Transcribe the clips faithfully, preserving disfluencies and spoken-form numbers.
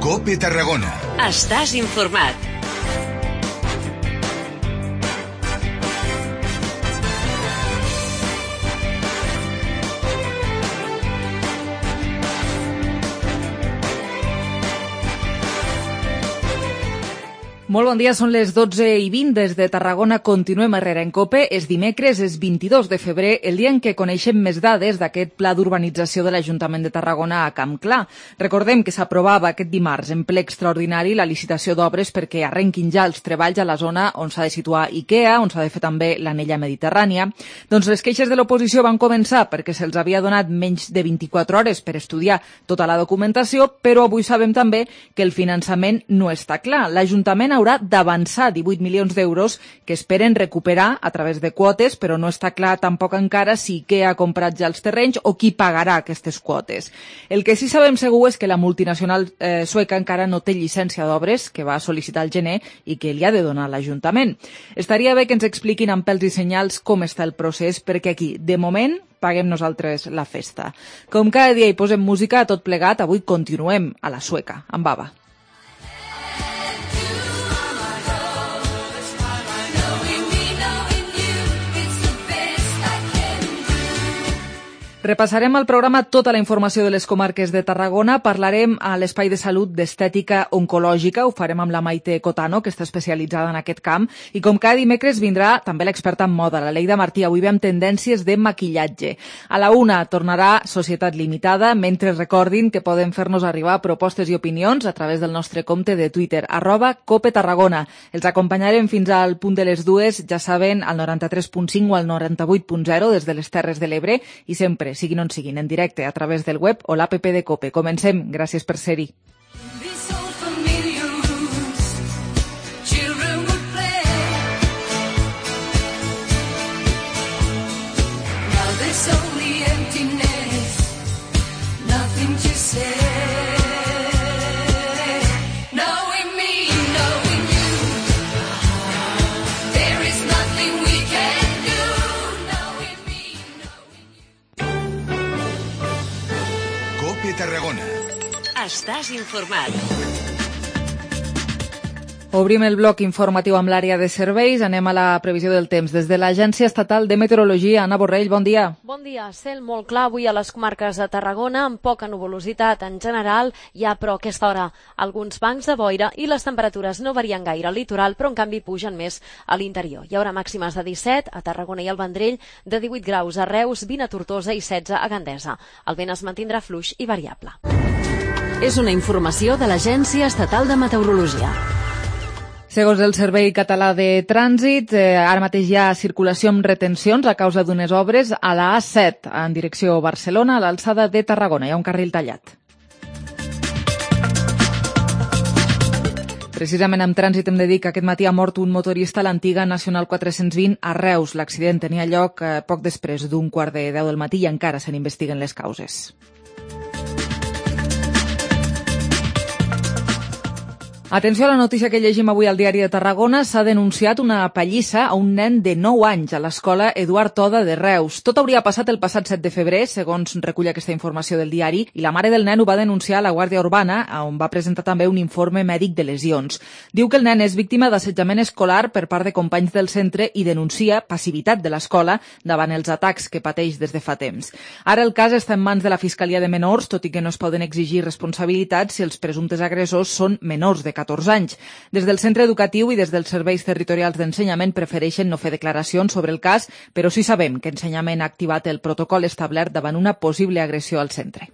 COPE Tarragona. Estàs informat. Molt bon dia, són les dotze i vint des de Tarragona. Continuem a Herrera en COPE. És dimecres, és vint-i-dos de febrer, el dia en què coneixem més dades d'aquest pla d'urbanització de l'Ajuntament de Tarragona a Camp Clar. Recordem que s'aprovava aquest dimarts en ple extraordinari la licitació d'obres perquè arrenquin ja els treballs a la zona on s'ha de situar IKEA, on s'ha de fer també l'anella mediterrània. Doncs les queixes de l'oposició van començar perquè se'ls havia donat menys de vint-i-quatre hores per estudiar tota la documentació, però avui sabem també que el finançament no està clar. L'Ajuntament haurà d'avançar divuit milions d'euros que esperen recuperar a través de quotes, però no està clar tampoc encara si IKEA ha comprat ja els terrenys o qui pagarà aquestes quotes. El que sí sabem segur és que la multinacional eh, sueca encara no té llicència d'obres, que va sol·licitar al gener i que li ha de donar l'Ajuntament. Estaria bé que ens expliquin amb pèls i senyals com està el procés, perquè aquí, de moment, paguem nosaltres la festa. Com cada dia hi posem música a tot plegat, avui continuem a la sueca, amb Baba. Repassarem al programa tota la informació de les comarques de Tarragona. Parlarem a l'Espai de Salut d'Estètica Oncològica. Ho farem amb la Maite Cotano, que està especialitzada en aquest camp. I com cada dimecres vindrà també l'experta en moda, la Leida Martí. Avui ve amb tendències de maquillatge. A la una tornarà Societat Limitada, mentre recordin que poden fer-nos arribar propostes i opinions a través del nostre compte de Twitter, arroba Cope Tarragona. Els acompanyarem fins al punt de les dues, ja saben, al noranta-tres punt cinc o al noranta-vuit punt zero des de les Terres de l'Ebre i sempre siguin on siguin, en directe a través del web o l'app de COPE. Comencem. Gràcies per ser-hi. Tarragona. Estàs informat. Obrim el bloc informatiu amb l'àrea de serveis. Anem a la previsió del temps. Des de l'Agència Estatal de Meteorologia, Anna Borrell, bon dia. Bon dia. Cel molt clar avui a les comarques de Tarragona, amb poca nuvolositat en general. Hi ha, però, a aquesta hora alguns bancs de boira i les temperatures no varien gaire al litoral, però en canvi pugen més a l'interior. Hi haurà màximes de disset a Tarragona i al Vendrell, de divuit graus a Reus, vint a Tortosa i setze a Gandesa. El vent es mantindrà fluix i variable. És una informació de l'Agència Estatal de Meteorologia. Segons el Servei Català de Trànsit, eh, ara mateix hi ha circulació amb retencions a causa d'unes obres a la A set en direcció Barcelona, a l'alçada de Tarragona. Hi ha un carril tallat. Precisament amb trànsit hem de dir que aquest matí ha mort un motorista a l'antiga Nacional quatre-cents vint a Reus. L'accident tenia lloc eh, poc després d'un quart de deu del matí i encara se n'investiguen les causes. Atenció a la notícia que llegim avui al Diari de Tarragona. S'ha denunciat una pallissa a un nen de nou anys a l'escola Eduard Toda de Reus. Tot hauria passat el passat set de febrer, segons recull aquesta informació del diari, i la mare del nen ho va denunciar a la Guàrdia Urbana, on va presentar també un informe mèdic de lesions. Diu que el nen és víctima d'assetjament escolar per part de companys del centre i denuncia passivitat de l'escola davant els atacs que pateix des de fa temps. Ara el cas està en mans de la Fiscalia de Menors, tot i que no es poden exigir responsabilitats si els presumptes agressors són menors de catorze anys. Des del centre educatiu i des dels serveis territorials d'ensenyament prefereixen no fer declaracions sobre el cas, però sí sabem que Ensenyament ha activat el protocol establert davant una possible agressió al centre.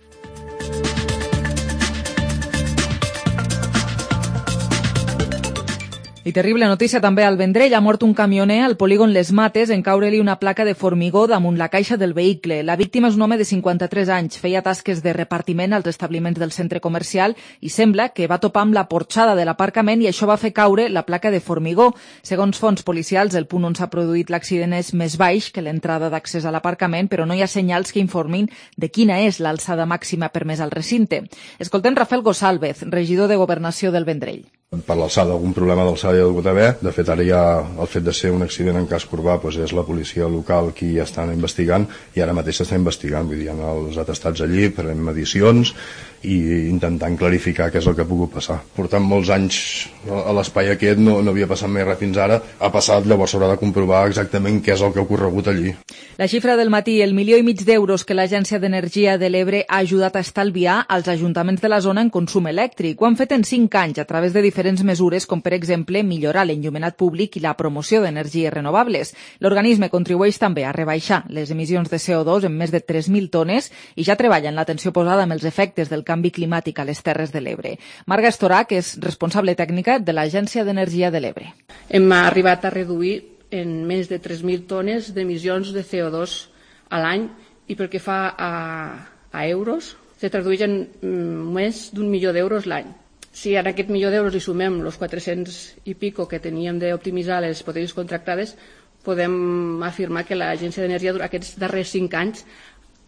I terrible notícia també al Vendrell. Ha mort un camioner al polígon Les Mates en caure-li una placa de formigó damunt la caixa del vehicle. La víctima és un home de cinquanta-tres anys. Feia tasques de repartiment als establiments del centre comercial i sembla que va topar amb la porxada de l'aparcament i això va fer caure la placa de formigó. Segons fonts policials, el punt on s'ha produït l'accident és més baix que l'entrada d'accés a l'aparcament, però no hi ha senyals que informin de quina és l'alçada màxima permesa al recinte. Escoltem Rafael Gosalvez, regidor de Governació del Vendrell. Per l'alçada, algun problema d'alçada hi ha hagut haver. De fet, ara ja el fet de ser un accident en casc urbà doncs és la policia local qui ja estan investigant i ara mateix s'està investigant. Vull dir, hi ha els atestats allí, farem medicions i intentant clarificar què és el que ha pogut passar. Portant molts anys a l'espai aquest, no, no havia passat mai res fins ara, ha passat, llavors s'haurà de comprovar exactament què és el que ha ocorregut allí. La xifra del matí, el milió i mig d'euros que l'Agència d'Energia de l'Ebre ha ajudat a estalviar als ajuntaments de la zona en consum elèctric. Ho han fet en cinc anys a través de diferents mesures, com per exemple millorar l'enllumenat públic i la promoció d'energies renovables. L'organisme contribueix també a rebaixar les emissions de C O dos en més de tres mil tones i ja treballa en l'atenció posada amb els efectes del canvi climàtic a les Terres de l'Ebre. Marga Estorac és responsable tècnica de l'Agència d'Energia de l'Ebre. Hem arribat a reduir en més de tres mil tones d'emissions de C O dos a l'any i pel que fa a, a euros, se tradueix en més d'un milió d'euros l'any. Si a aquest milió d'euros hi sumem els quatre-cents i pico que teníem d'optimitzar les hipotètiques contractades, podem afirmar que l'Agència d'Energia durant aquests darrers cinc anys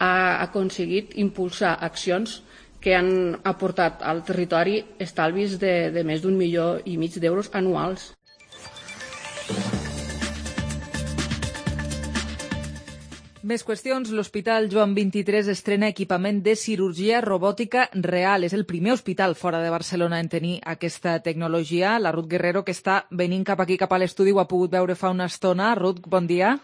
ha aconseguit impulsar accions que han aportat al territori estalvis de, de més d'un milió i mig d'euros anuals. Més qüestions. L'Hospital Joan vint-i-tres estrena equipament de cirurgia robòtica real. És el primer hospital fora de Barcelona en tenir aquesta tecnologia. La Ruth Guerrero, que està venint cap aquí, cap a l'estudi, ho ha pogut veure fa una estona. Ruth, bon dia.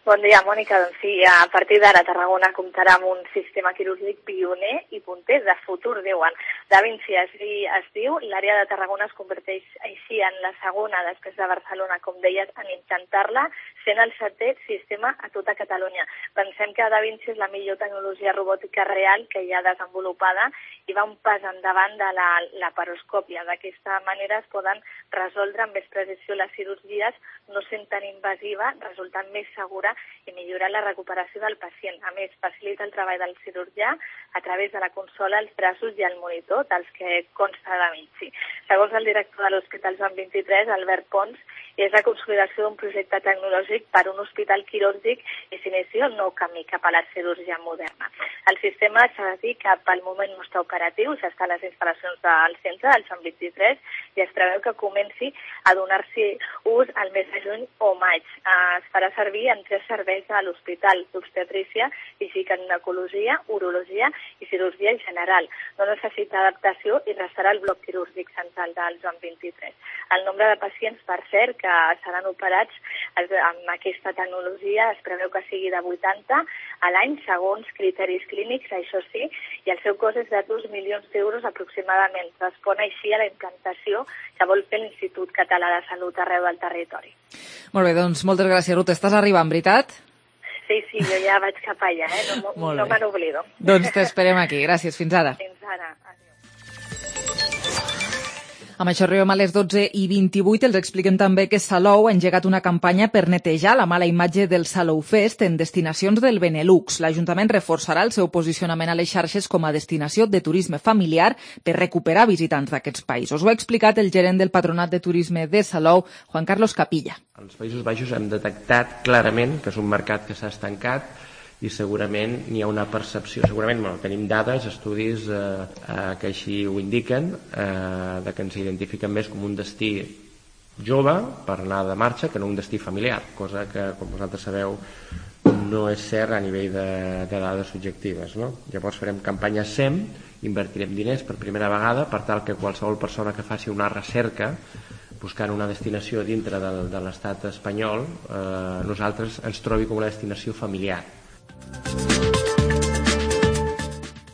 Bon dia, Mònica. Doncs sí, a partir d'ara Tarragona comptarà amb un sistema quirúrgic pioner i punter de futur, diuen. Da Vinci es, es diu, l'àrea de Tarragona es converteix així en la segona després de Barcelona, com deies, en intentar-la, sent el setè sistema a tota Catalunya. Pensem que Da Vinci és la millor tecnologia robòtica real que hi ha desenvolupada i va un pas endavant de la laparoscòpia. D'aquesta manera es poden resoldre amb més precisió les cirurgies, no sent tan invasiva, resultant més segura i millorar la recuperació del pacient. A més, facilita el treball del cirurgià a través de la consola, els braços i el monitor, dels que consta Da Vinci. Segons el director de l'Hospital Joan vint-i-tres, Albert Pons, és la consolidació d'un projecte tecnològic per a un hospital quirúrgic i s'inicia el nou camí cap a la cirurgia moderna. El sistema s'ha de dir que pel moment no està operatiu, s'està a les instal·lacions del centre, del Joan vint-i-tres, i es preveu que comenci a donar-s'hi ús al mes de juny o maig. Es farà servir en tres serveis a l'hospital: d'obstetrícia i ginecologia, urologia i cirurgia general. No necessita adaptació i restarà el bloc quirúrgic central del Joan vint-i-tres. El nombre de pacients, per cert, que seran operats amb aquesta tecnologia es preveu que sigui de vuitanta a l'any, segons criteris clínics, això sí, i el seu cost és de dos milions d'euros aproximadament. Respon així a la implantació que vol fer l'Institut Català de Salut arreu del territori. Molt bé, doncs moltes gràcies, Ruth. Estàs arribant, veritat? Sí, sí, jo ja vaig cap allà, eh? No, no me n'oblido. Doncs t'esperem aquí. Gràcies, fins ara. Fins ara. Amb això arribem a les dotze i vint-i-vuit. Els expliquem també que Salou ha engegat una campanya per netejar la mala imatge del Salou Fest en destinacions del Benelux. L'Ajuntament reforçarà el seu posicionament a les xarxes com a destinació de turisme familiar per recuperar visitants d'aquests països. Ho ha explicat el gerent del Patronat de Turisme de Salou, Juan Carlos Capilla. Als Països Baixos hem detectat clarament que és un mercat que s'ha estancat i segurament n'hi ha una percepció, segurament bueno, tenim dades, estudis eh, eh, que així ho indiquen, eh, de que ens identifiquen més com un destí jove per anar de marxa que no un destí familiar, cosa que, com vosaltres sabeu, no és cert a nivell de, de dades subjectives. No? Llavors farem campanya S E M, invertirem diners per primera vegada per tal que qualsevol persona que faci una recerca buscant una destinació dintre de, de l'estat espanyol, eh, nosaltres ens trobi com una destinació familiar.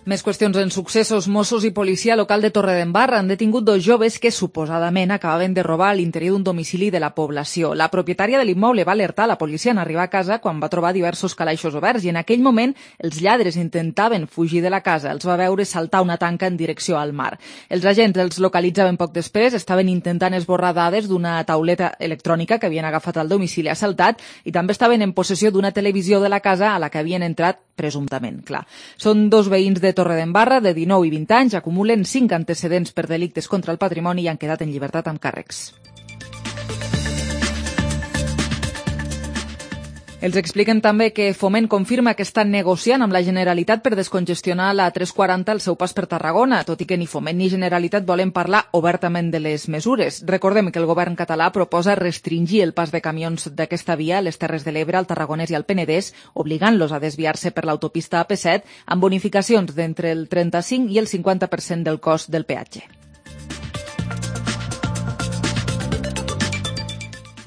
Més qüestions en successos. Mossos i policia local de Torredembarra han detingut dos joves que suposadament acabaven de robar a l'interior d'un domicili de la població. La propietària de l'immoble va alertar la policia en arribar a casa quan va trobar diversos calaixos oberts i en aquell moment els lladres intentaven fugir de la casa. Els va veure saltar una tanca en direcció al mar. Els agents els localitzaven poc després, estaven intentant esborrar dades d'una tauleta electrònica que havien agafat al domicili assaltat i també estaven en possessió d'una televisió de la casa a la que havien entrat presumptament. Clar. Són dos veïns de Torredembarra, de dinou i vint anys, acumulen cinc antecedents per delictes contra el patrimoni i han quedat en llibertat amb càrrecs. Els expliquen també que Foment confirma que està negociant amb la Generalitat per descongestionar la tres quaranta al seu pas per Tarragona, tot i que ni Foment ni Generalitat volen parlar obertament de les mesures. Recordem que el govern català proposa restringir el pas de camions d'aquesta via a les Terres de l'Ebre, al Tarragonès i al Penedès, obligant-los a desviar-se per l'autopista A P set amb bonificacions d'entre el trenta-cinc i el cinquanta per cent del cost del peatge.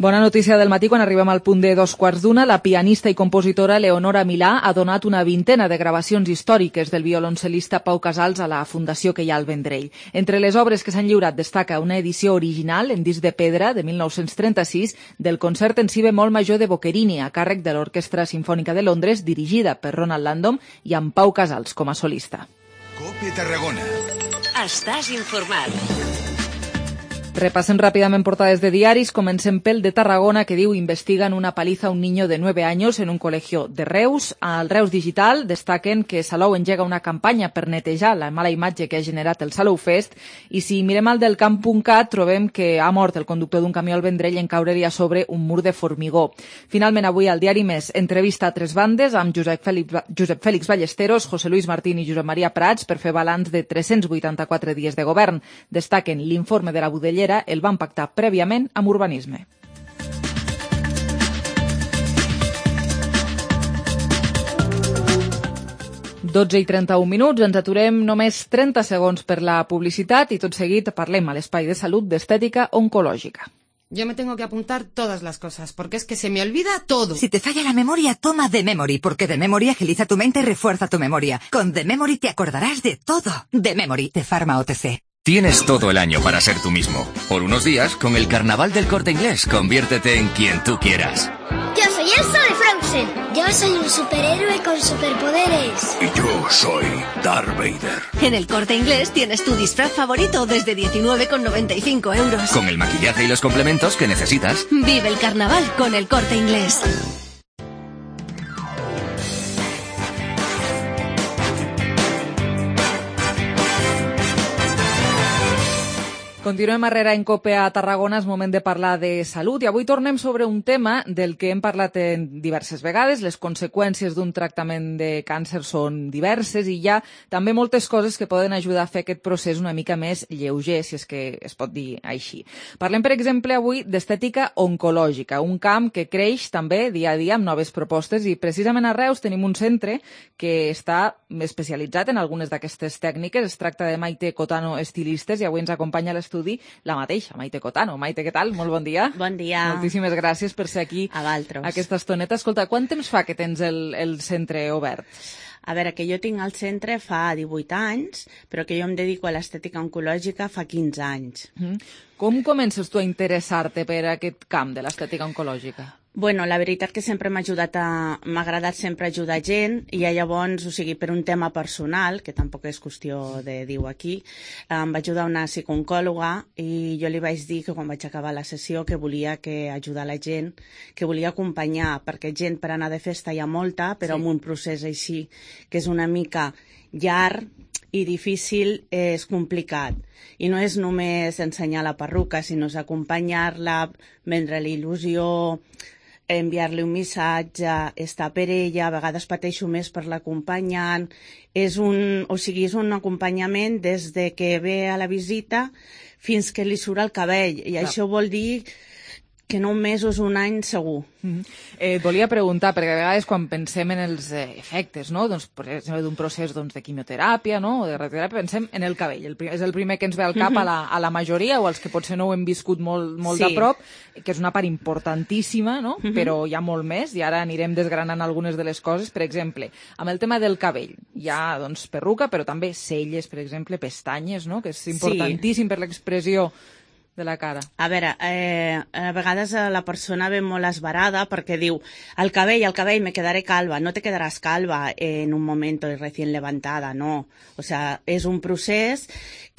Bona notícia del matí quan arribem al punt de dos quarts d'una. La pianista i compositora Leonora Milà ha donat una vintena de gravacions històriques del violoncel·lista Pau Casals a la Fundació que hi ha al Vendrell. Entre les obres que s'han lliurat destaca una edició original en disc de pedra de mil nou-cents trenta-sis del concert en si bemol major de Boccherini a càrrec de l'Orquestra Simfònica de Londres, dirigida per Ronald Landom i amb Pau Casals com a solista. Cope Tarragona. Estàs informat. Repasen ràpidament portades de diaris. Comencem pel de Tarragona, que diu investiguen una paliza a un niño de nueve años en un colegio de Reus. Al Reus Digital destaquen que Salou engega una campanya per netejar la mala imatge que ha generat el Salou Fest. I si mirem al del camp punt cat, trobem que ha mort el conductor d'un camió al Vendrell en caure-li a sobre un mur de formigó. Finalment, avui al diari Més, entrevista a tres bandes amb Josep Fèlix, Josep Fèlix Ballesteros, José Luis Martín i Josep Maria Prats per fer balanç de tres-cents vuitanta-quatre dies de govern. Destaquen l'informe de la Budellera el van pactar prèviament amb Urbanisme. dotze i trenta-un minuts, ens aturem només trenta segons per la publicitat i tot seguit parlem a l'espai de salut d'estètica oncològica. Yo me tengo que apuntar todas las cosas, porque es que se me olvida todo. Si te falla la memoria, toma The Memory, porque The Memory agiliza tu mente y refuerza tu memoria. Con The Memory te acordarás de todo. The Memory, de Pharma O T C. Tienes todo el año para ser tú mismo. Por unos días, con el Carnaval del Corte Inglés, conviértete en quien tú quieras. Yo soy Elsa de Frozen. Yo soy un superhéroe con superpoderes. Y yo soy Darth Vader. En el Corte Inglés tienes tu disfraz favorito desde diecinueve con noventa y cinco euros. Con el maquillaje y los complementos que necesitas. Vive el carnaval con el Corte Inglés. Continuem arrere en Cope a Tarragona, és moment de parlar de salut i avui tornem sobre un tema del que hem parlat en diverses vegades. Les conseqüències d'un tractament de càncer són diverses i hi ha també moltes coses que poden ajudar a fer aquest procés una mica més lleuger, si és que es pot dir així. Parlem, per exemple, avui d'estètica oncològica, un camp que creix també dia a dia amb noves propostes i precisament a Reus tenim un centre que està especialitzat en algunes d'aquestes tècniques. Es tracta de Maite Cotano Estilistes i avui ens acompanya l'estudi la mateixa, Maite Cotano. Maite, què tal? Molt bon dia. Bon dia. Moltíssimes gràcies per ser aquí a Valtros. Aquesta estoneta. Escolta, quant temps fa que tens el, el centre obert? A veure, que jo tinc el centre fa divuit anys, però que jo em dedico a l'estètica oncològica fa quinze anys. Mm. Com comences tu a interessar-te per aquest camp de l'estètica oncològica? Bueno, la veritat que sempre m'ha ajudat a... m'ha agradat sempre ajudar gent i llavors, o sigui, per un tema personal, que tampoc és qüestió de dir-ho aquí, em va ajudar una psicooncòloga i jo li vaig dir que quan vaig acabar la sessió que volia que ajudar la gent, que volia acompanyar, perquè gent per anar de festa hi ha molta, però sí. Amb un procés així, que és una mica llarg i difícil, és complicat. I no és només ensenyar la perruca, sinó és acompanyar-la, vendre-li il·lusió, enviar-li un missatge, estar per ella, a vegades pateixo més per l'acompanyant. És un, o sigui, és un acompanyament des de que ve a la visita fins que li surt el cabell. I Clar. Això vol dir que no un mes o un any segur. Mm-hmm. eh, et volia preguntar, perquè a vegades quan pensem en els eh, efectes, no? Doncs, per exemple, d'un procés doncs, de quimioteràpia, no? O de radioteràpia, pensem en el cabell. El, és el primer que ens ve al cap mm-hmm. a, la, a la majoria, o els que potser no ho hem viscut molt, molt sí. de prop, que és una part importantíssima, no? Mm-hmm. Però hi ha molt més, i ara anirem desgranant algunes de les coses. Per exemple, amb el tema del cabell, hi ha doncs, perruca, però també celles, per exemple, pestanyes, no? Que és importantíssim sí. per l'expressió de la cara. A veure, eh, a vegades la persona ve molt esbarada perquè diu, el cabell, el cabell, me quedaré calva. No te quedaràs calva en un moment recién levantada, no. O sea, és un procés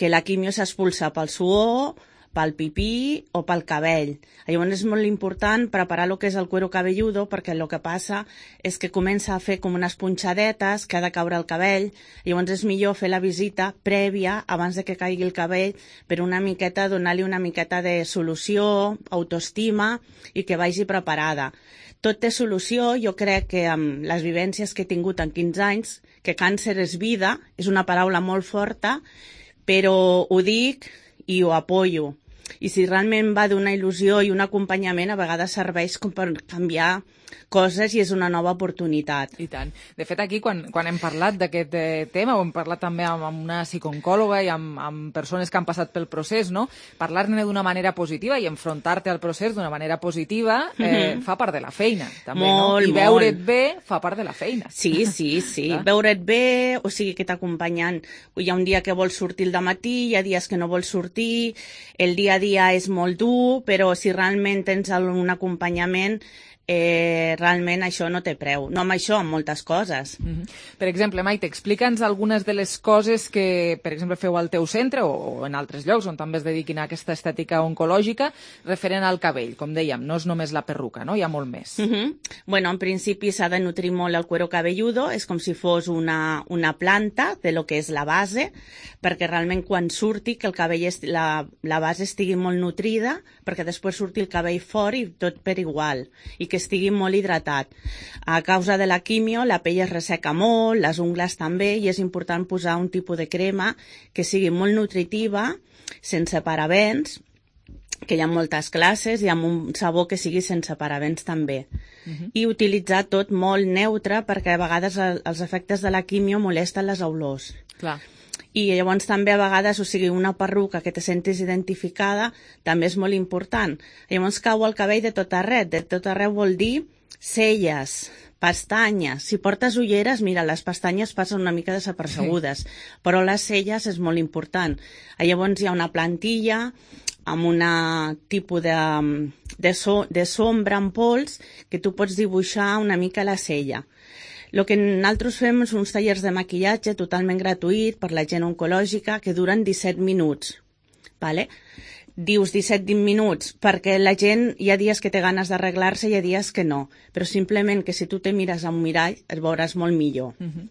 que la quimio s'expulsa pel suor, pel pipí o pel cabell. Llavors és molt important preparar el que és el cuero cabelludo, perquè el que passa és que comença a fer com unes punxadetes que ha de caure el cabell. Llavors és millor fer la visita prèvia abans de que caigui el cabell per una miqueta, donar-li una miqueta de solució, autoestima i que vagi preparada. Tot té solució. Jo crec que amb les vivències que he tingut en quinze anys, que càncer és vida, és una paraula molt forta, però ho dic i ho apoyo. I si realment va d'una il·lusió i un acompanyament, a vegades serveix com per canviar coses i és una nova oportunitat. I tant. De fet, aquí, quan, quan hem parlat d'aquest eh, tema, ho hem parlat també amb, amb una psicòloga i amb, amb persones que han passat pel procés, no? Parlar-ne d'una manera positiva i enfrontar-te al procés d'una manera positiva eh, mm-hmm. fa part de la feina, també, molt, no? I veure't bé fa part de la feina. Sí, sí, sí. Veure't bé, o sigui que t'acompanyen. Hi ha un dia que vols sortir al dematí, hi ha dies que no vols sortir, el dia a dia és molt dur, però si realment tens un acompanyament, Eh, realment això no té preu. No amb això, amb moltes coses. Mm-hmm. Per exemple, Maite, explica'ns algunes de les coses que, per exemple, feu al teu centre o en altres llocs on també es dediquin a aquesta estètica oncològica referent al cabell. Com dèiem, no és només la perruca, no? Hi ha molt més. Mm-hmm. Bueno, en principi s'ha de nutrir molt el cuero cabelludo, és com si fos una, una planta de lo que és la base, perquè realment quan surti que el cabell est, la, la base estigui molt nutrida, perquè després surti el cabell fort i tot per igual, i que estigui molt hidratat. A causa de la quimio, la pell es resseca molt, les ungles també, i és important posar un tipus de crema que sigui molt nutritiva, sense parabens, que hi ha moltes classes, i amb un sabó que sigui sense parabens també. Uh-huh. I utilitzar tot molt neutre, perquè a vegades els efectes de la quimio molesten les olors. Clar. I llavors també a vegades, o sigui, una perruca que te sentis identificada també és molt important. Llavors cau el cabell de tot arreu. De tot arreu vol dir celles, pestanyes. Si portes ulleres, mira, les pestanyes passen una mica desapercebudes, sí. Però les celles és molt important. Llavors hi ha una plantilla amb un tipus de, de, so, de sombra en pols que tu pots dibuixar una mica la cella. El que nosaltres fem és uns tallers de maquillatge totalment gratuït per la gent oncològica que duren disset minuts. Vale? Dius disset minuts perquè la gent hi ha dies que té ganes d'arreglar-se i hi ha dies que no, però simplement que si tu te mires a un mirall et veuràs molt millor. Uh-huh.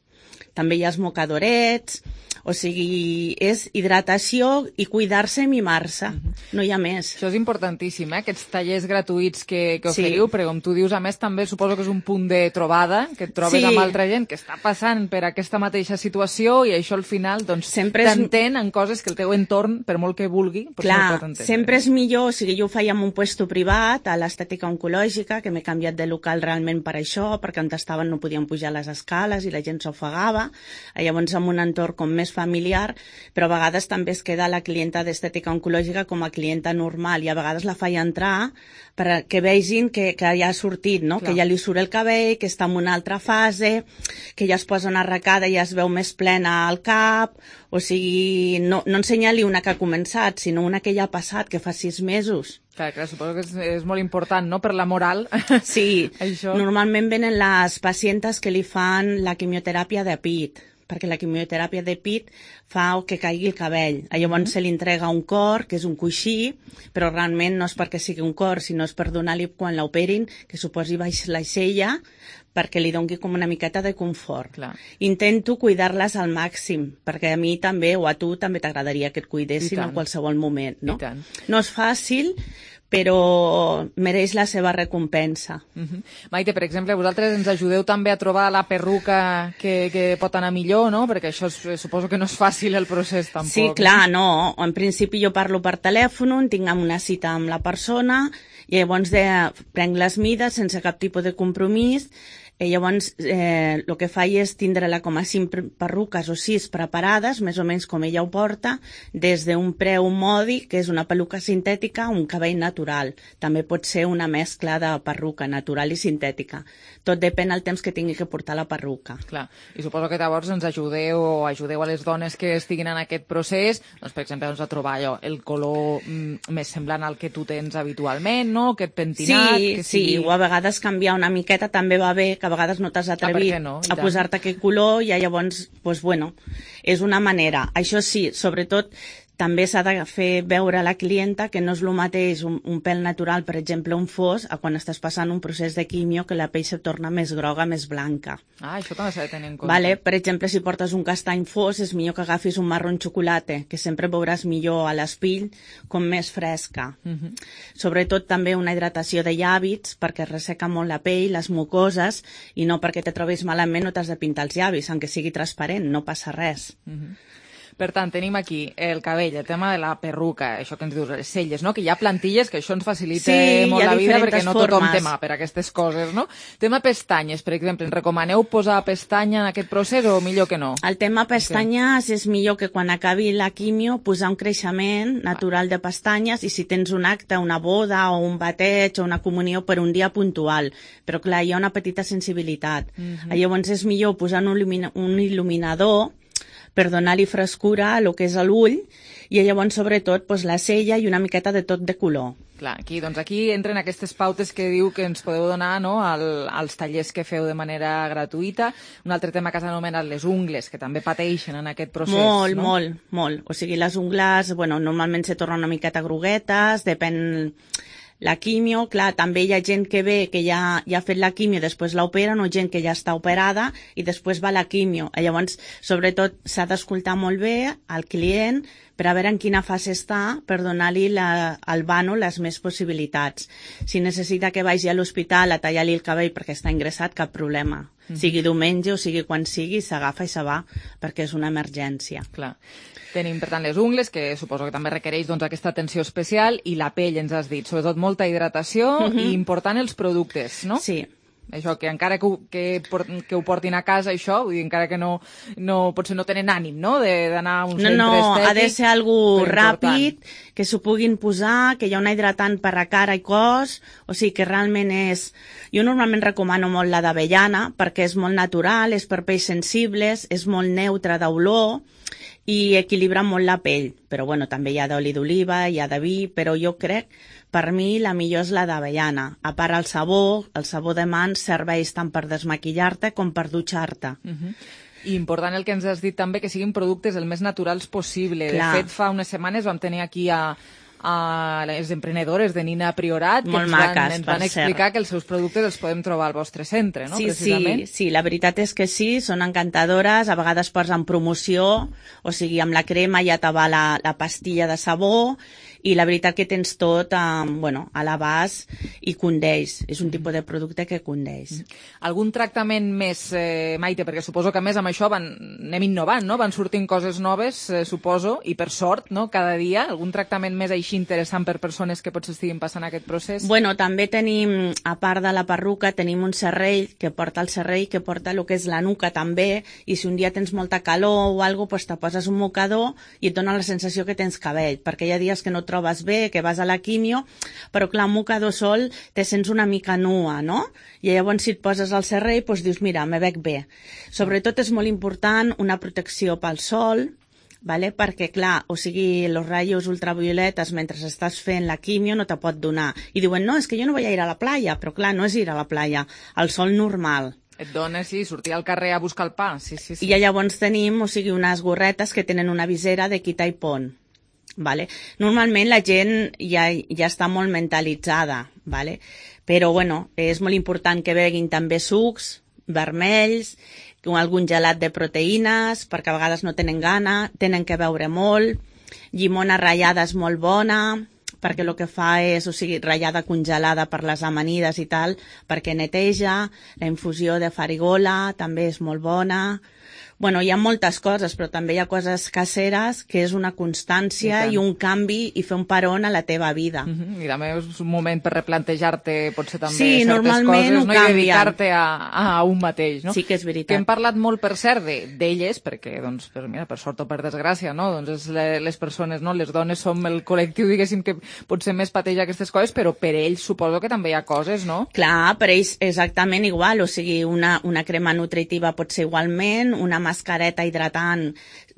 També hi ha els mocadorets, o sigui, és hidratació i cuidar-se i mimar-se, uh-huh. No hi ha més. Això és importantíssim, eh? Aquests tallers gratuïts que, que oferiu, sí. Perquè com tu dius, a més també suposo que és un punt de trobada, que et trobes sí. Amb altra gent que està passant per aquesta mateixa situació i això al final doncs t'entén en coses que el teu entorn, per molt que vulgui, però clar, no pot entendre. Sempre és millor, o sigui, jo ho feia en un puesto privat, a l'estètica oncològica, que m'he canviat de local realment per això, perquè on estaven no podien pujar les escales i la gent s'ofegava, llavors en un entorn com més familiar, però a vegades també es queda la clienta d'estètica oncològica com a clienta normal i a vegades la faig entrar perquè vegin que, que ja ha sortit, no? Que ja li surt el cabell, que està en una altra fase, que ja es posa una arracada i ja es veu més plena al cap, o sigui, no, no ensenya-li una que ha començat, sinó una que ja ha passat, que fa sis mesos. Clar, clar, suposo que és, és molt important, no?, per la moral. Sí, això. Normalment venen les pacientes que li fan la quimioteràpia de pit, perquè la quimioteràpia de pit fa que caigui el cabell. Llavors mm-hmm. se li entrega un cor, que és un coixí, però realment no és perquè sigui un cor, sinó és per donar-li, quan l'operin, que suposi baix la cella, perquè li doni com una miqueta de confort. Clar. Intento cuidar-les al màxim, perquè a mi també, o a tu, també t'agradaria que et cuidessin en qualsevol moment, no? I tant. No és fàcil, però mereix la seva recompensa. Uh-huh. Maite, per exemple, vosaltres ens ajudeu també a trobar la perruca que, que pot anar millor, no? Perquè això és, suposo que no és fàcil el procés tampoc. Sí, clar, no. En principi jo parlo per telèfon, tinc una cita amb la persona i llavors de, prenc les mides sense cap tipus de compromís. I llavors eh, el que faig és tindre-la com a cinc perruques o sis preparades, més o menys com ella ho porta, des d'un preu mòdic, que és una peluca sintètica, un cabell natural. També pot ser una mescla de perruca natural i sintètica. Tot depèn del temps que tingui que portar la perruca. Clar. I suposo que llavors ens ajudeu o ajudeu a les dones que estiguin en aquest procés, doncs, per exemple, doncs, a trobar allò, el color mm, més semblant al que tu tens habitualment, no? Aquest pentinat... Sí, que sigui... sí, o a vegades canviar una miqueta també va bé, que a vegades no t'has atrevit ah, no? a posar-te aquest color i llavors, pues, bueno, és una manera. Això sí, sobretot també s'ha de fer veure a la clienta que no és el mateix un, un pèl natural, per exemple, un fos, a quan estàs passant un procés de quimio que la pell se torna més groga, més blanca. Ah, això també s'ha de tenir en compte. Vale? Per exemple, si portes un castany fos, és millor que agafis un marró xocolata, que sempre veuràs millor a l'espill com més fresca. Uh-huh. Sobretot també una hidratació de llavis, perquè resseca molt la pell, les mucoses, i no perquè te trobis malament no t'has de pintar els llavis, aunque sigui transparent, no passa res. Uh-huh. Per tant, tenim aquí el cabell, el tema de la perruca, això que ens dius, les celles, no? Que hi ha plantilles, que això ens facilita sí, molt la vida perquè no tothom formes. té mà per aquestes coses, no? Tema pestanyes, per exemple, ens recomaneu posar pestanya en aquest procés o millor que no? El tema pestanyes sí. és millor que quan acabi la quimio posar un creixement natural de pestanyes i si tens un acte, una boda o un bateig o una comunió per un dia puntual. Però clar, hi ha una petita sensibilitat. Mhm. Llavors és millor posar un, il·lumina- un il·luminador per donar-li frescura a lo que és l'ull i llavors sobretot pues, la cella i una miqueta de tot de color. Clar, aquí, doncs aquí entren aquestes pautes que diu que ens podeu donar no, al, als tallers que feu de manera gratuïta. Un altre tema que has anomenat les ungles, que també pateixen en aquest procés. Molt, no? molt, molt. O sigui, les ungles, bueno, normalment se tornen una miqueta groguetes, depèn... La quimio, clar, també hi ha gent que ve que ja, ja ha fet la quimio, després l'operen, o gent que ja està operada i després va a la quimio. Llavors, sobretot, s'ha d'escoltar molt bé al client per a veure en quina fase està per donar-li la, al vano les més possibilitats. Si necessita que vagi a l'hospital a tallar-li el cabell perquè està ingressat, cap problema. Mm-hmm. Sigui diumenge o sigui quan sigui, s'agafa i se va perquè és una emergència. Clar. Tenim, per tant, les ungles, que suposo que també requereix doncs, aquesta atenció especial, i la pell, ens has dit, sobretot molta hidratació Mhm. i important els productes, no? Sí. Això, que encara que ho, que, por- que ho portin a casa, això, vull dir, encara que no, no potser no tenen ànim, no?, de- d'anar a un No, centre no, estètic. ha de ser algú però ràpid, important. que s'ho puguin posar, que hi ha una hidratant per a cara i cos, o sigui que realment és... Jo normalment recomano molt la d'avellana, perquè és molt natural, és per pells sensibles, és molt neutra d'olor, i equilibra molt la pell. Però bueno, també hi ha d'oli d'oliva, hi ha de vi, però jo crec, per mi, la millor és la d'avellana. A part el sabó, el sabó de mans serveix tant per desmaquillar-te com per dutxar-te. Mhm. I important el que ens has dit també, que siguin productes el més naturals possible. Clar. De fet, fa unes setmanes vam tenir aquí a, a les emprenedores de Nina Priorat, que Molt ens van, maques, ens per van explicar cert. que els seus productes els podem trobar al vostre centre, no? Sí, Precisament. sí, sí, la veritat és que sí, són encantadores, a vegades posen promoció, o sigui, amb la crema ja te va la, la pastilla de sabó, i la veritat que tens tot um, bueno, a l'abast i condeix. És un tipus de producte que condeix. Algun tractament més, eh, Maite, perquè suposo que a més amb això van, anem innovant, no? Van sortint coses noves, eh, suposo, i per sort, no?, cada dia. Algun tractament més així interessant per persones que potser estiguin passant aquest procés? Bueno, també tenim, a part de la perruca, tenim un serrell, que porta el serrell, que porta el que és la nuca també, i si un dia tens molta calor o alguna cosa, pues te poses un mocador i et dona la sensació que tens cabell, perquè hi ha dies que no trobes bé, que vas a la quimio, però clar, un mocador sol te sents una mica nua, no? I llavors si et poses al serrell, doncs dius, mira, me veig bé. Sobretot és molt important una protecció pel sol, vale? Perquè clar, o sigui, els rayos ultravioletes mentre estàs fent la quimio no te pot donar. I diuen, no, és que jo no vull ir a la playa, però clar, no és ir a la playa, el sol normal. Et dona, sí, sortir al carrer a buscar el pa, sí, sí, sí. I llavors tenim, o sigui, unes gorretes que tenen una visera de quita i pon. Vale? Normalment la gent ja, ja està molt mentalitzada, vale? Però bueno, és molt important que beguin també sucs vermells, algun gelat de proteïnes, perquè a vegades no tenen gana, tenen que beure molt, llimona ratllada és molt bona, perquè el que fa és, o sigui, ratllada congelada per les amanides i tal, perquè neteja, la infusió de farigola també és molt bona. Bueno, hi ha moltes coses, però també hi ha coses caseres que és una constància i, i un canvi i fer un paron a la teva vida. Uh-huh. I també és un moment per replantejar-te potser també sí, certes normalment coses, no? I dedicar-te a, a un mateix, no? Sí que és veritat. Que hem parlat molt, per cert, d'elles, de, perquè, doncs, per, mira, per sort o per desgràcia, no? Doncs és le, les persones, no? Les dones som el col·lectiu, diguéssim, que potser més pateix aquestes coses, però per ells suposo que també hi ha coses, no? Clar, per ells exactament igual, o sigui, una, una crema nutritiva pot ser igualment, una mascareta hidratant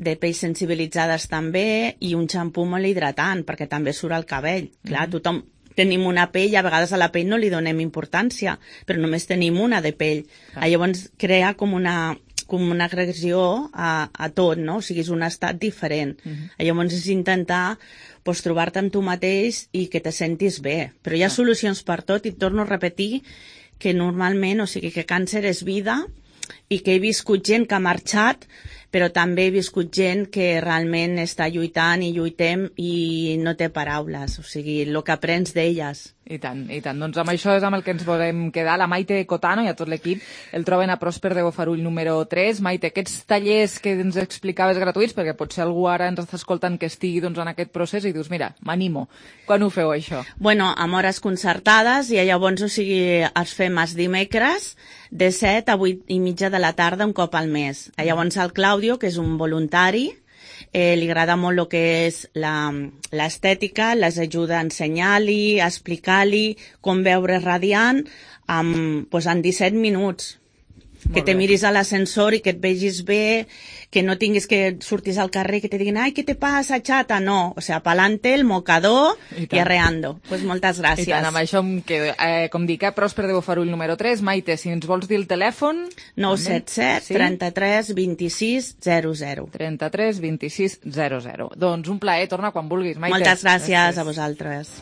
de pells sensibilitzades també i un xampú molt hidratant perquè també surt el cabell. Clar, mm-hmm. tothom tenim una pell, a vegades a la pell no li donem importància, però només tenim una de pell. Ah. Llavors crea com una, com una agressió a, a tot, no? O sigui, és un estat diferent. Uh-huh. Llavors és intentar pues, trobar-te amb tu mateix i que te sentis bé. Però hi ha solucions per tot i torno a repetir que normalment, o sigui, que càncer és vida i que he viscut gent que ha marxat, però també he viscut gent que realment està lluitant i lluitem i no té paraules, o sigui, el que aprens d'elles. I tant, i tant. Doncs amb això és amb el que ens volem quedar. La Maite Cotano i a tot l'equip el troben a Pròsper de Bofarull número tres. Maite, aquests tallers que ens explicaves gratuïts, perquè potser algú ara ens està escoltant que estigui doncs, en aquest procés i dius, mira, m'animo. Quan ho feu, això? Bueno, amb hores concertades i llavors, o sigui, els fem els dimecres de set a vuit i mitja de la tarda un cop al mes. Llavors el Claudio, que és un voluntari, Eh, li agrada molt el que és l'estètica, les ajuda a ensenyar-li, a explicar-li com veure radiant amb, pues, en disset minuts. Molt que te bé. Miris a l'ascensor i que et vegis bé, que no tinguis que sortis al carrer que te diguin, ai, què te passa, xata? No, o sea, pa'lante, el mocador i, i arreando. Pues moltes gràcies. I tant, amb això em quedo. Eh, com dic, eh, Pròsper de Bofarull número tres. Maite, si ens vols dir el telèfon... nou set set, trenta-tres, vint-i-sis, zero zero. trenta-tres, vint-i-sis, zero zero. Doncs un plaer, torna quan vulguis, Maite. Moltes gràcies, gràcies. A vosaltres.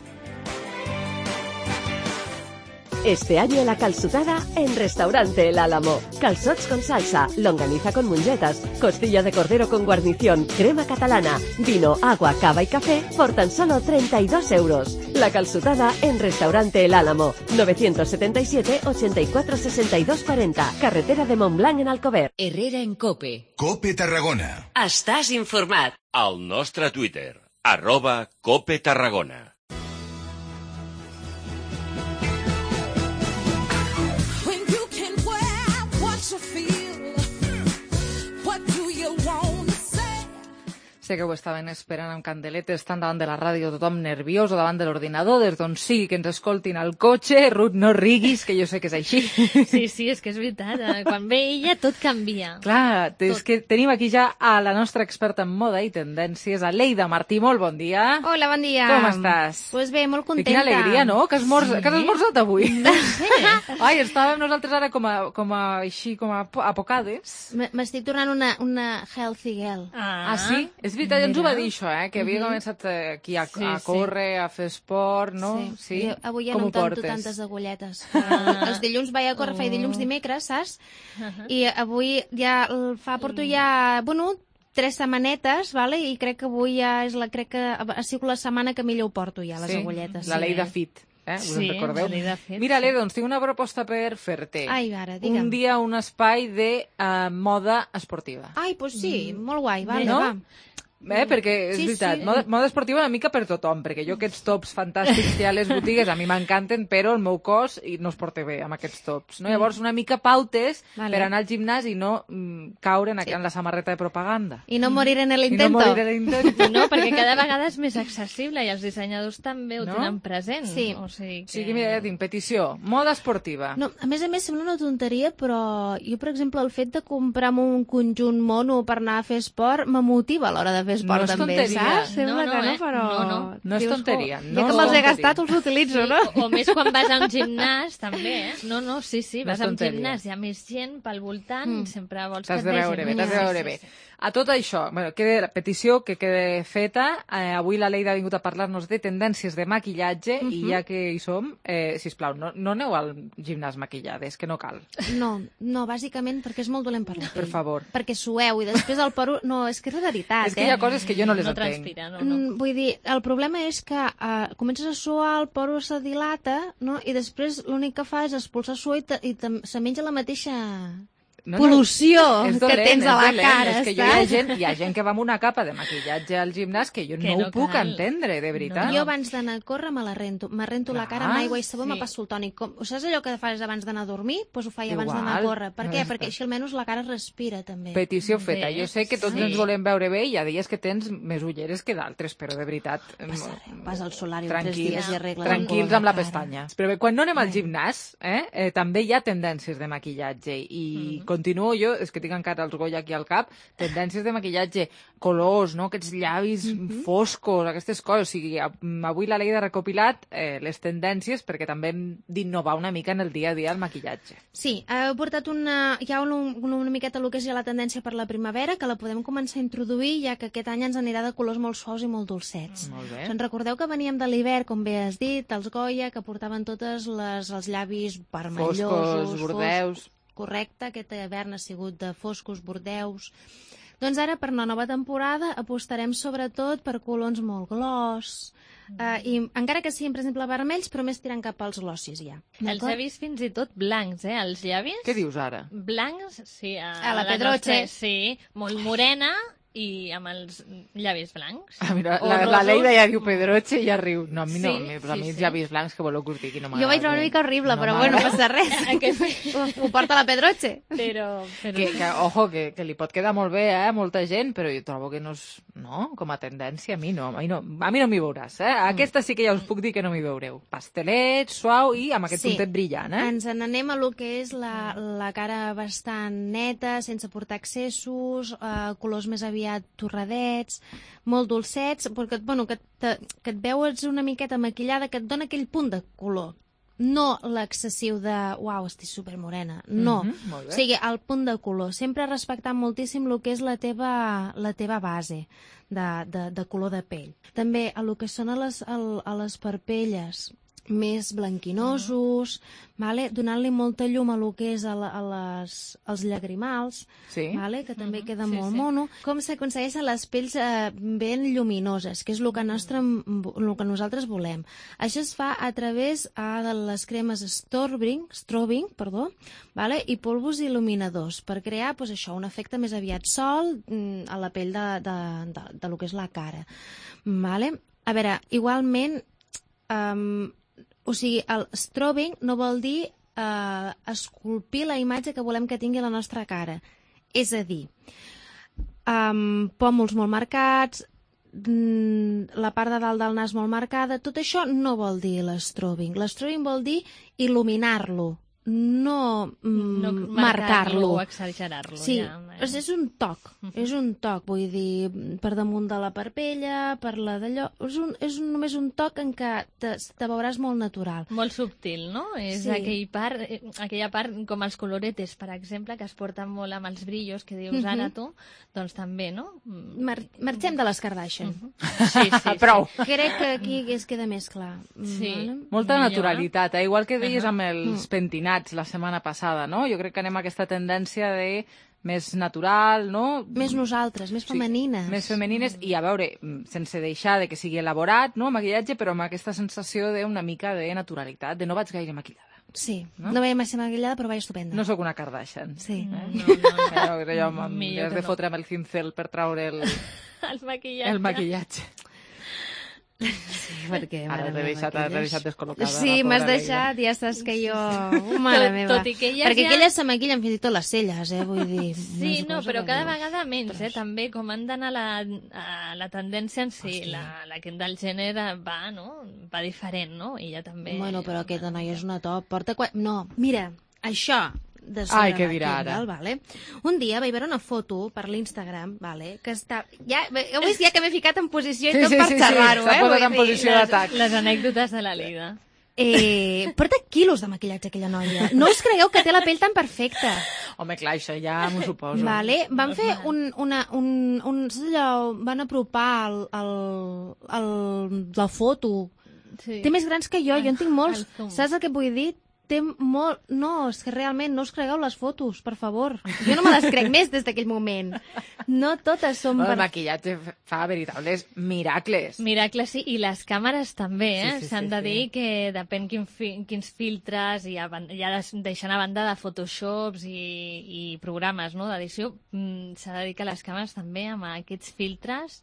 Este año la calçotada en Restaurante El Álamo. Calzots con salsa, longaniza con mungetas, costilla de cordero con guarnición, crema catalana, vino, agua, cava y café por tan solo treinta y dos euros. La calçotada en Restaurante El Álamo. novecientos setenta y siete, ochenta y cuatro, sesenta y dos cuarenta. Carretera de Montblanc en Alcover. Herrera en Cope. Cope Tarragona. Estàs informat. Al nostre Twitter, arroba Cope Tarragona. Sé que ho estaven esperant amb candeletes, estan davant de la ràdio, tothom nerviós o davant de l'ordinador, des d'on sigui que ens escoltin al cotxe. Ruth, no riguis, que jo sé que és així. Sí, sí, és que és veritat. Quan ve ella, tot canvia. Clar, tot. És que tenim aquí ja a la nostra experta en moda i tendències, a Leida Martí. Molt bon dia. Hola, bon dia. Com estàs? Pues bé, molt contenta. I quina alegria, no? Que has, morz... sí. que has esmorzat avui. No sé. Ai, estàvem nosaltres ara com a, com a, així, com a apocades. M'estic tornant una, una healthy girl. Ah, ah sí? És veritat, ja ens ho va dir això, eh? Que havia uh-huh. començat aquí a, sí, a córrer, sí. a fer esport, no? Sí. sí. Jo, avui ja Com no em tanto tantes agulletes. Ah. Els dilluns vaig a córrer, oh. faig dilluns dimecres, saps? Uh-huh. I avui ja fa, porto ja, bueno, tres setmanetes, vale? I crec que avui ja és la, crec que ha sigut la setmana que millor ho porto ja, les sí. agulletes. La sí. Leida Fit. Eh? Us sí, en recordeu? Fet, Mira, sí. Leda, doncs tinc una proposta per fer-te. Ai, ara, digue'm. Un dia un espai de uh, moda esportiva. Ai, doncs pues sí, mm. molt guai, vale, no? va. Eh, perquè és sí, veritat, sí. Moda, moda esportiva una mica per tothom, perquè jo aquests tops fantàstics que hi ha a les botigues a mi m'encanten, però el meu cos no es porta bé amb aquests tops, no? Llavors una mica pautes vale. Per anar al gimnàs i no mm, caure en, sí. en la samarreta de propaganda. I no morir en l'intento. I no morir en l'intento. No, perquè cada vegada és més accessible i els dissenyadors també ho no? tenen present. Sí. O sigui que... Sí, que mira, ja tinc petició. Moda esportiva. No, a més a més sembla una tonteria, però jo, per exemple, el fet de comprar-me un conjunt mono per anar a fer esport me motiva a l'hora de fer esport no també. Saps? Sembla no, no, que no, eh? però... No, no. No és tonteria. No ja que me'ls he gastat, els utilitzo, sí, no? O, o més quan vas a un gimnàs, també, eh? No, no, sí, sí, vas no a un gimnàs, hi ha més gent pel voltant, mm. sempre vols que et de veure bé, t'has de veure bé. A tot això, bueno, queda la petició que queda feta. Eh, avui la Leida ha vingut a parlar-nos de tendències de maquillatge uh-huh. i ja que hi som, eh, sisplau, no, no aneu al gimnàs maquillades, que no cal. No, no, bàsicament perquè és molt dolent per la pell. Per favor. Perquè sueu i després el poro... No, és que és la veritat, eh? És que hi ha coses que jo no les no entenc. Transpira, no, no. Mm, vull dir, el problema és que uh, comences a suar, el poro se dilata, no? I després l'únic que fa és expulsar suor i, te, i te, se menja la mateixa... No, pol·lució no, dolent, que tens a la dolent. Cara, és que jo hi ha, gent, hi ha gent que va amb una capa de maquillatge al gimnàs que jo que no, no ho puc cal. entendre, de veritat. No. Jo abans d'anar a córrer me la rento. Me rento Clar, la cara amb aigua i sabó, sí. me passo el tònic. Com, o saps allò que fas abans d'anar a dormir? Doncs pues ho faig abans d'anar a córrer. Per no què? Perquè així almenys la cara respira, també. Petició feta. Jo sé que tots sí. ens volem veure bé i hi ha dies que tens més ulleres que d'altres, però de veritat... Vas, vas al solari tres dies i arregles tranquils amb la pestanya. Però bé, quan no anem al gimnàs, eh, eh, també hi ha tendències de maquillatge i mm-hmm. continuo jo, és que tinc encara els Goya aquí al cap, tendències de maquillatge, colors, no? Aquests llavis mm-hmm. foscos, aquestes coses. O sigui, avui la Leida ha recopilat eh, les tendències perquè també hem d'innovar una mica en el dia a dia el maquillatge. Sí, heu portat una, ja una, una miqueta el que és ja la tendència per la primavera, que la podem començar a introduir, ja que aquest any ens anirà de colors molt suaus i molt dolcets. Mm, molt bé. Se'n recordeu que veníem de l'hivern, com bé has dit, els Goya, que portaven totes les, els llavis vermellosos, foscos, bordeus. Foscos, correcte, aquest hivern ha sigut de foscos, bordeus. Doncs ara, per la nova temporada, apostarem sobretot per colors molt gloss, uh, i encara que siguin, per exemple, vermells, però més tirant cap als glossis, ja. Els he vist fins i tot blancs, eh, els llavis. Què dius ara? Blancs, sí. A, a la Pedroche. Nostra, sí, molt morena, i amb els llavis blancs. Ah, mira, la, la Leida ja diu Pedroche i ja riu. No, a mi no, sí, a mi sí, els sí. llavis blancs que voleu que us digui no m'agrada. Jo vaig trobar una mica horrible, no però bueno, no passa res. ho, ho porta la Pedroche. Però... però... Que, que, ojo, que, que li pot quedar molt bé, eh, a molta gent, però jo trobo que no és... No, com a tendència, a mi no. A mi no, a mi no m'hi veuràs, eh? Aquesta sí que ja us puc dir que no m'hi veureu. Pastelet, suau i amb aquest sí. puntet brillant, eh? Ens n'anem a lo que és la, la cara bastant neta, sense portar excessos, eh, colors més aviat torradets, molt dolcets, perquè bueno, que, te, que et veus una miqueta maquillada, que et dona aquell punt de color. No l'excessiu de, uau, estic supermorena. No. Mm-hmm, o sigui, el punt de color. Sempre respectant moltíssim el que és la teva, la teva base de, de, de color de pell. També a lo que són a les, a, a les parpelles més blanquinosos, uh-huh. vale? Donant-li molta llum a lo que és a, la, a les, als llagrimals, sí. vale? Que també uh-huh. queda sí, molt sí. mono. Com s'aconsegueixen les pells eh, ben lluminoses, que és el que, nostre, el que nosaltres volem. Això es fa a través eh, de les cremes strobing, strobing perdó, vale? I polvos il·luminadors, per crear pues, això, un efecte més aviat sol mm, a la pell de, de, de, de, de lo que és la cara. Vale? A veure, igualment... Um, O sigui, el strobing no vol dir eh, esculpir la imatge que volem que tingui la nostra cara. És a dir, um, pòmuls molt marcats, mm, la part de dalt del nas molt marcada, tot això no vol dir l'estrobing. L'estrobing vol dir il·luminar-lo, no, mm, no marcar-lo. o exagerar-lo. Sí, ja. és un toc, uh-huh. és un toc, vull dir, per damunt de la parpella, per la d'allò, és, un, és un, només un toc en què te, te veuràs molt natural. Molt subtil, no? És sí. aquell part, aquella part com els coloretes, per exemple, que es porten molt amb els brillos, que dius uh-huh. ara tu, doncs també, no? Mar marxem de les Kardashian. Uh-huh. Sí, sí, Prou. Sí. Crec que aquí es queda més clar. Sí. Vale? Molta naturalitat, eh? Igual que deies uh-huh. amb els mm. pentinats la setmana passada, no? Jo crec que anem a aquesta tendència de més natural, no? Més nosaltres, més femenines. Sí, més femenines i, a veure, sense deixar de que sigui elaborat, no?, maquillatge, però amb aquesta sensació d'una mica de naturalitat, de no vaig gaire maquillada. Sí, no, no vaig massa maquillada, però vaig estupenda. No sóc una Kardashian. Sí. Eh? No, no, no. Però allò, m'has de no. fotre amb el cincel per traure el, el maquillatge. el maquillatge. Sí, perquè... Ara t'he deixat, deixat descol·locada. Sí, m'has deixat, ja saps que jo... Oh, mare tot, meva. tot i que elles perquè ja... aquelles se maquillen fins i tot les celles, eh, vull dir... Sí, no, però cada veus. vegada menys, eh, també, com han d'anar a, la, a la tendència en si, la, la que del gènere va, no?, va diferent, no?, i ja també... Bueno, però aquesta noia és una top, porta... Qua... No, mira, això... De Ai, què dirà ara? Vale? Un dia vaig veure una foto per l'Instagram, vale? Que està... Ja, heu vist ja que m'he ficat en posició i sí, tot sí, per sí, xerrar-ho, sí, eh? s'ha posat en posició d'atac. Les, les anècdotes de la Leida. Eh, porta quilos de maquillatge aquella noia. No us cregueu que té la pell tan perfecta. Home, clar, això ja m'ho suposo. Vale? Van fer un, una, un, un, allò, van apropar el, el, el, la foto. Sí. Té més grans que jo, jo en tinc molts. Saps el que vull dir? Té molt... No, és que realment no us cregueu les fotos, per favor. Jo no me les crec més des d'aquell moment. No totes són... El per... maquillatge fa veritables miracles. Miracles, sí, i les càmeres també, eh? Sí, sí, S'han sí, de sí. dir que depèn quin fi, quins filtres, i ja, ja deixant a banda de Photoshops i, i programes, no?, d'edició, mm, s'ha de dir que les càmeres també, amb aquests filtres,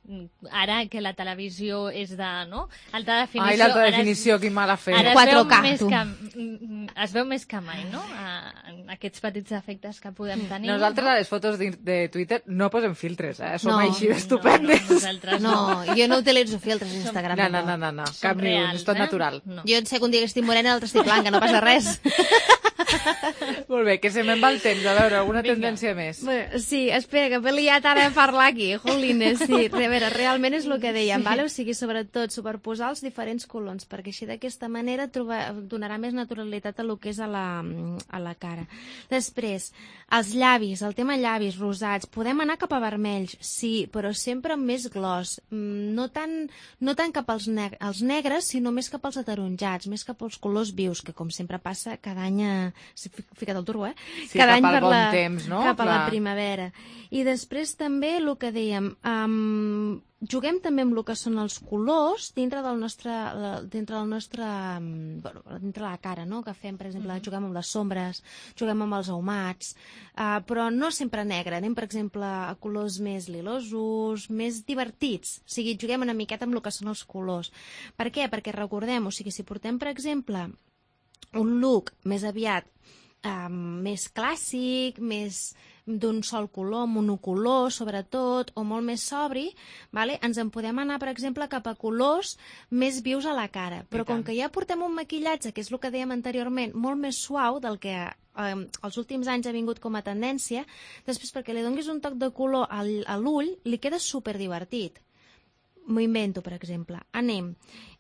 ara que la televisió és de, no?, alta definició... Ai, l'alta definició, es, quin mal ha fet. Ara quatre K, es veu, més que, es veu més que mai, no?, a, a aquests petits efectes que podem tenir. Nosaltres no? a les fotos de, de Twitter no posem filtres, eh? Som No, així d'estupendes. No, no, nosaltres No, jo no utilitzo filtres a Instagram. No, no, no, no, no. Cap ni un, és tot eh? natural. No. Jo en sé que un dia que estic morena, l'altre estic blanca, no passa res. Molt bé, que se me'n va el temps. A veure, alguna Vinga. tendència més? Bé, sí, espera, que m'he liat ara a parlar aquí. Jolines, sí. A veure, realment és el que dèiem, sí. Vale? O sigui, sobretot, superposar els diferents colors, perquè així d'aquesta manera trobar, donarà més naturalitat a lo que és a la, a la cara. Després, els llavis, el tema llavis rosats. Podem anar cap a vermells, sí, però sempre amb més gloss. No tant, no tant cap als, neg als negres, sinó més cap als ataronjats, més cap als colors vius, que com sempre passa, cada any... Fica't al turbo, eh? Sí, cada cap any al per bon la, temps, no? Cap a Clar. la primavera. I després també el que dèiem, um, juguem també amb el que són els colors dintre del nostre, dintre del nostre, bueno, dintre la cara, no? Que fem, per exemple, mm-hmm. juguem amb les sombres, juguem amb els ahumats, uh, però no sempre negre, anem, per exemple, a colors més lilosos, més divertits, o sigui, juguem una miqueta amb el que són els colors. Per què? Perquè recordem, o sigui, si portem, per exemple, un look més aviat um, més clàssic, més d'un sol color, monocolor, sobretot, o molt més sobri, vale? Ens en podem anar, per exemple, cap a colors més vius a la cara. Però com que ja portem un maquillatge, que és el que dèiem anteriorment, molt més suau del que eh, els últims anys ha vingut com a tendència, després perquè li donguis un toc de color al, a l'ull, li queda superdivertit. M'ho invento, per exemple. Anem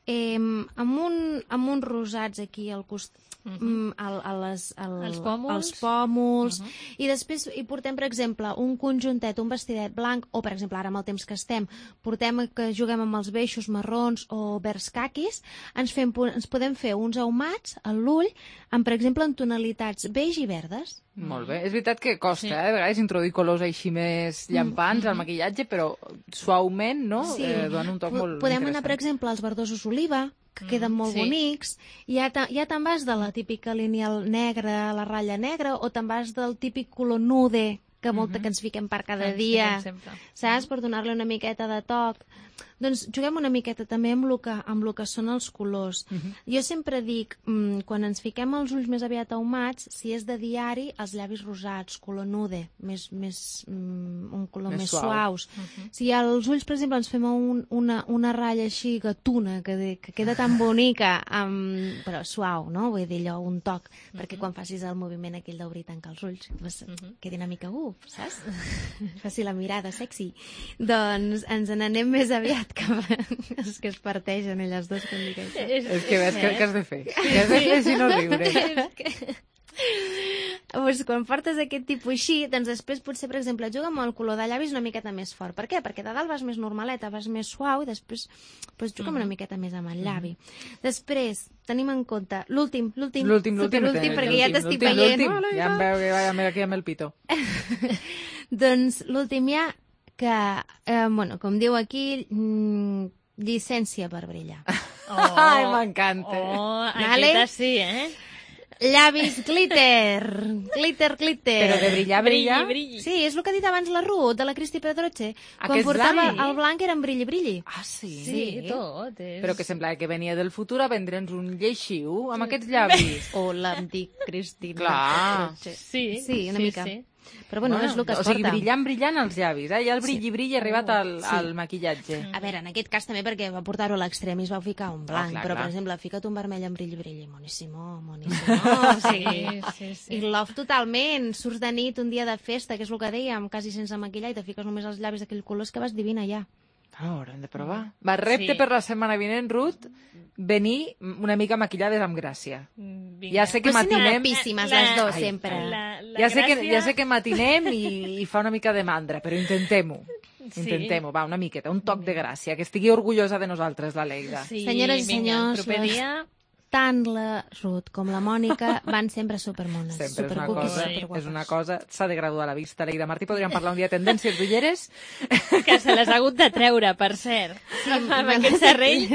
eh, amb, un, amb uns rosats aquí al costat, Uh-huh. a, a les, al, els pòmuls, els pòmuls uh-huh. i després hi portem, per exemple, un conjuntet, un vestidet blanc, o per exemple ara amb el temps que estem portem que juguem amb els beixos marrons o verds caquis, ens, fem, ens podem fer uns ahumats a l'ull amb, per exemple, en tonalitats beix i verdes. Molt bé. És veritat que costa, sí. eh? De vegades introduir colors així més llampants mm-hmm. al maquillatge, però suaument, no? Sí. Eh, dona un toc P molt Podem interessant. anar, per exemple, als verdosos oliva, que queden molt sí. bonics, i ja te'n vas de la típica lineal negra, la ratlla negra, o te'n vas del típic color nude, que molta uh-huh. que ens fiquem per cada ens dia, saps? Uh-huh. Per donar-li una miqueta de toc. Doncs juguem una miqueta també amb el que, amb el que són els colors. Uh-huh. Jo sempre dic, mmm, quan ens fiquem els ulls més aviat ahumats, si és de diari, els llavis rosats, color nude, més, més, mm, un color més, més suau. suaus. Uh-huh. Si als ulls, per exemple, ens fem un, una, una ratlla així gatuna, que, de, que queda tan bonica, amb, però suau, no? Vull dir, allò, un toc, uh-huh. perquè quan facis el moviment aquell d'obrir i tancar els ulls, pues, uh-huh. quedi una mica uf, saps? Faci la mirada sexy. Doncs ens n'anem més aviat cap a... És que es parteixen elles dos quan dic això. És, és que ves que, que has de fer. Que has de fer si no riure. És que... Pues quan portes aquest tipus així, doncs després potser, per exemple, juga amb el color de llavis una miqueta més fort. Per què? Perquè de dalt vas més normaleta, vas més suau, i després pues, juga mm-hmm. una miqueta més amb el llavi. Mm-hmm. Després, tenim en compte l'últim, l'últim, l'últim, l'últim, perquè ja t'estic veient. Ja em veu que vaig aquí amb el pito. Doncs l'últim ja, que, eh, bueno, com diu aquí, mm, llicència per brillar. Oh, ai, m'encanta. Oh, vale? Aquesta sí, eh? Llavis glitter, glitter, glitter. Però de brillar, brillar? Brilli, brilli. Sí, és el que ha dit abans la Ruth, de la Cristi Pedroche. Quan Aquests portava llavis? el blanc era en brilli, brilli. Ah, sí? Sí, tot. És... Però que semblava que venia del futur a vendre'ns un lleixiu amb aquests llavis. O l'antic Cristina. Clar. Sí, sí, una sí, mica. Sí. Però bueno, bueno, és el que es o sigui, porta. brillant, brillant els llavis, eh? Ja el brilli, brilli ha arribat al, sí. al maquillatge. A veure, en aquest cas també perquè va portar-ho a l'extrem i es va ficar un blanc, oh, clar, però clar. per exemple, fica't un vermell amb brilli, brilli, moníssimo, moníssimo. Oh, sí, sí, sí. I love totalment, surts de nit un dia de festa, que és el que dèiem, quasi sense maquillar, i te fiques només els llavis d'aquell color, que vas divina ja. Ah, haurem de provar. Va, repte Sí. per la setmana vinent, Ruth, venir una mica maquillades amb gràcia. Vinga. Ja sé que Però si matinem... guapíssimes les dos, Ai, sempre. La, la Ja sé, que, gràcia- ja sé que matinem i, i fa una mica de mandra, però intentem-ho. Sí. Intentem-ho, va, una miqueta, un toc de gràcia, que estigui orgullosa de nosaltres, la Leida. Sí, Senyores i vinga, senyors, el proper les- dia... Tant la Ruth com la Mònica van sempre supermones. Sempre és una supercuquis, cosa, superguapes. és una cosa, s'ha de graduar la vista. Leida Martí, podríem parlar un dia de tendències d'ulleres? Que se les ha hagut de treure, per cert. Sí, amb aquest serrell.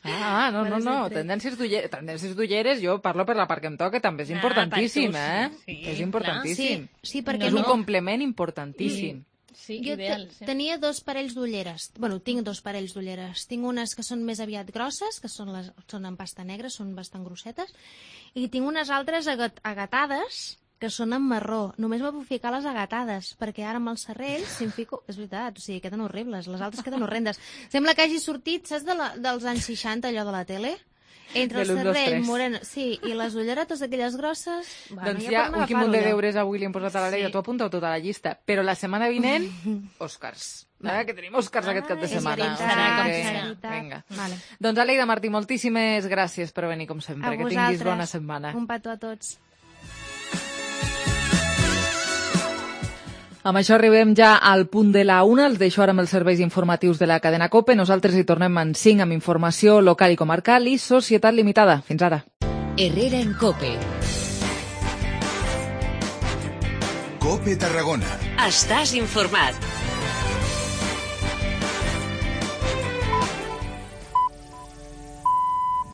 Ah, no, no, no, tendències d'ulleres, tendències d'ulleres, jo parlo per la part que em toca, també és importantíssim, Ah, eh? per tu, sí, És importantíssim. Sí, sí, perquè és un no- complement importantíssim. Sí, Jo ideal. te- Sí. tenia dos parells d'ulleres. Bueno, tinc dos parells d'ulleres. Tinc unes que són més aviat grosses, que són, les, són en pasta negra, són bastant grossetes, i tinc unes altres agat, agatades, que són en marró. Només me puc ficar les agatades, perquè ara amb els serrells, si em fico... És veritat, o sigui, queden horribles. Les altres queden horrendes. Sembla que hagi sortit, saps, de la, dels anys seixanta, allò de la tele? Entre de el l'un, dos, cervell, tres. moreno, sí, i les ulleretes aquelles grosses... Bueno, Doncs ja ja, podem un quin munt de agafar-ho ja. deures avui li hem posat a la Leia. Sí. Tu apunta tota la llista. Però la setmana vinent, Oscars. Eh? Que tenim Oscars aquest cap de és setmana. veritat, O sigui com que- serà. Vinga. Vale. Doncs Aleida Martí, moltíssimes gràcies per venir, com sempre. A Que vosaltres. tinguis bona setmana. Un petó a tots. Amb això arribem ja al punt de la una. Els deixo ara amb els serveis informatius de la cadena COPE. Nosaltres hi tornem en cinc amb informació local i comarcal i Societat Limitada. Fins ara. Herrera en COPE. COPE Tarragona. Estàs informat.